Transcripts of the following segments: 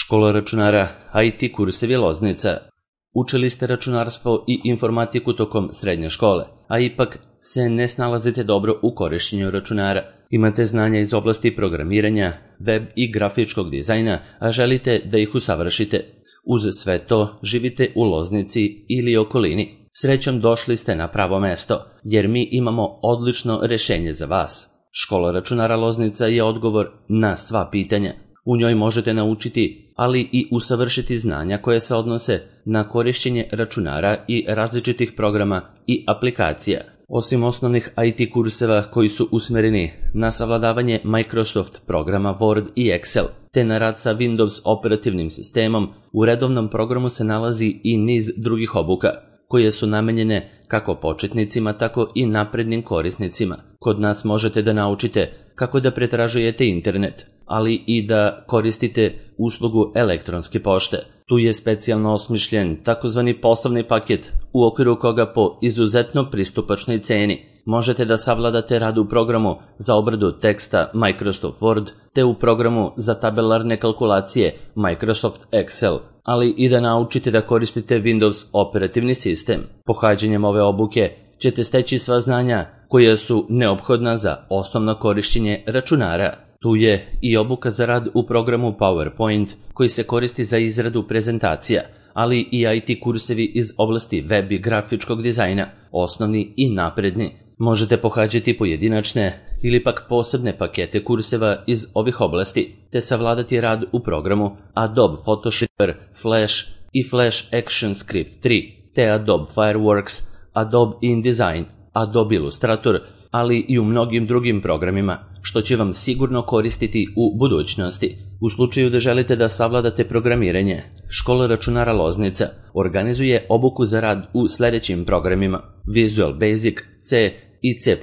Škola računara, IT kursevi Loznica. Učili ste računarstvo i informatiku tokom srednje škole, a ipak se ne snalazite dobro u korišćenju računara. Imate znanja iz oblasti programiranja, web i grafičkog dizajna, a želite da ih usavršite. Uz sve to živite u Loznici ili okolini. Srećom došli ste na pravo mesto, jer mi imamo odlično rešenje za vas. Škola računara Loznica je odgovor na sva pitanja. U njoj možete naučiti, ali i usavršiti znanja koje se odnose na korišćenje računara i različitih programa i aplikacija. Osim osnovnih IT kurseva koji su usmereni na savladavanje Microsoft programa Word i Excel, te na rad sa Windows operativnim sistemom, u redovnom programu se nalazi i niz drugih obuka, koje su namenjene kako početnicima, tako i naprednim korisnicima. Kod nas možete da naučite kako da pretražujete internet, ali i da koristite uslugu elektronske pošte. Tu je specijalno osmišljen takozvani poslovni paket, u okviru koga po izuzetno pristupačnoj ceni možete da savladate rad u programu za obradu teksta Microsoft Word, te u programu za tabelarne kalkulacije Microsoft Excel, ali i da naučite da koristite Windows operativni sistem. Pohađanjem ove obuke ćete steći sva znanja koja su neophodna za osnovno korišćenje računara. Tu je i obuka za rad u programu PowerPoint koji se koristi za izradu prezentacija, ali i IT kursevi iz oblasti web i grafičkog dizajna, osnovni i napredni. Možete pohađati pojedinačne ili pak posebne pakete kurseva iz ovih oblasti, te savladati rad u programu Adobe Photoshop, Flash i Flash ActionScript 3, te Adobe Fireworks, Adobe InDesign, Adobe Illustrator, ali i u mnogim drugim programima, što će vam sigurno koristiti u budućnosti. U slučaju da želite da savladate programiranje, Škola računara Loznica organizuje obuku za rad u sledećim programima: Visual Basic, C i C++,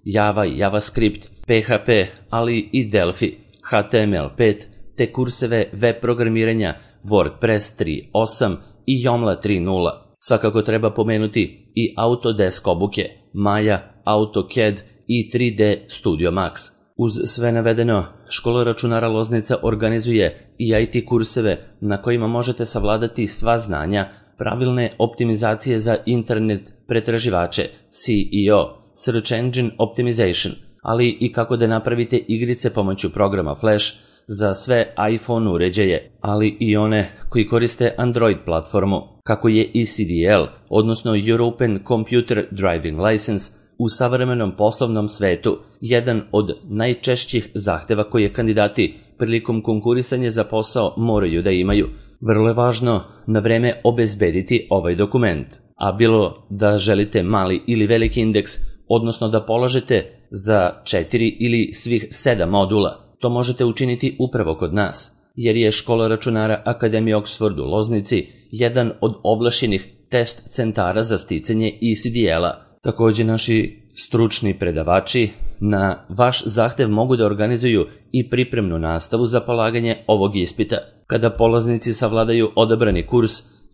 Java i JavaScript, PHP, ali i Delphi, HTML5, te kurseve web programiranja WordPress 3.8 i Joomla 3.0. Svakako treba pomenuti i Autodesk obuke, Maya, AutoCAD i 3D Studio Max. Uz sve navedeno, Škola računara Loznica organizuje i IT kurseve na kojima možete savladati sva znanja pravilne optimizacije za internet pretraživače, SEO, Search Engine Optimization, ali i kako da napravite igrice pomoću programa Flash za sve iPhone uređaje, ali i one koji koriste Android platformu, kako je ECDL, odnosno European Computer Driving License, u savremenom poslovnom svetu jedan od najčešćih zahteva koje kandidati prilikom konkurisanja za posao moraju da imaju. Vrlo je važno na vreme obezbediti ovaj dokument, a bilo da želite mali ili veliki indeks, odnosno da polažete za 4 ili svih 7 modula, to možete učiniti upravo kod nas, jer je Škola računara Akademije Oxford u Loznici jedan od ovlašćenih test centara za sticanje ECDL-a. Takođe, naši stručni predavači na vaš zahtev mogu da organizuju i pripremnu nastavu za polaganje ovog ispita. Kada polaznici savladaju odabrani kurs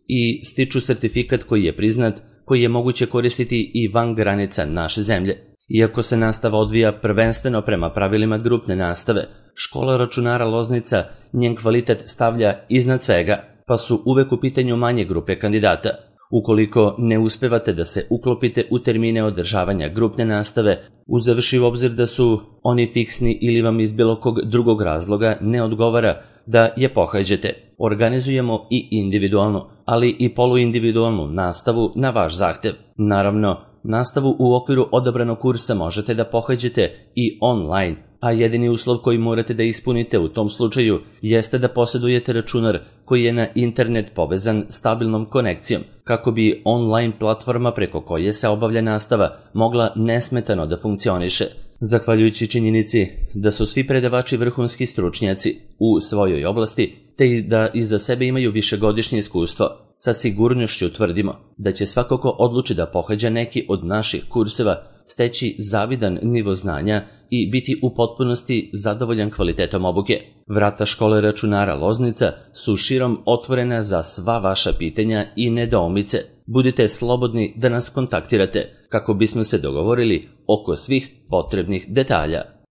i stiču sertifikat koji je priznat, koji je moguće koristiti i van granica naše zemlje. Iako se nastava odvija prvenstveno prema pravilima grupne nastave, Škola računara Loznica njen kvalitet stavlja iznad svega, pa su uvek u pitanju manje grupe kandidata. Ukoliko ne uspevate da se uklopite u termine održavanja grupne nastave, uzevši u obzir da su oni fiksni ili vam iz bilo kog drugog razloga ne odgovara da je pohađate, organizujemo i individualnu, ali i poluindividualnu nastavu na vaš zahtev. Naravno, nastavu u okviru odabranog kursa možete da pohađate i online, a jedini uslov koji morate da ispunite u tom slučaju jeste da posedujete računar koji je na internet povezan stabilnom konekcijom, kako bi online platforma preko koje se obavlja nastava mogla nesmetano da funkcioniše. Zahvaljujući činjenici da su svi predavači vrhunski stručnjaci u svojoj oblasti, te da iza sebe imaju višegodišnje iskustvo, sa sigurnošću tvrdimo da će svako ko odluči da pohađa neki od naših kurseva steći zavidan nivo znanja i biti u potpunosti zadovoljan kvalitetom obuke. Vrata Škole računara Loznica su širom otvorena za sva vaša pitanja i nedoumice. Budite slobodni da nas kontaktirate kako bismo se dogovorili oko svih potrebnih detalja.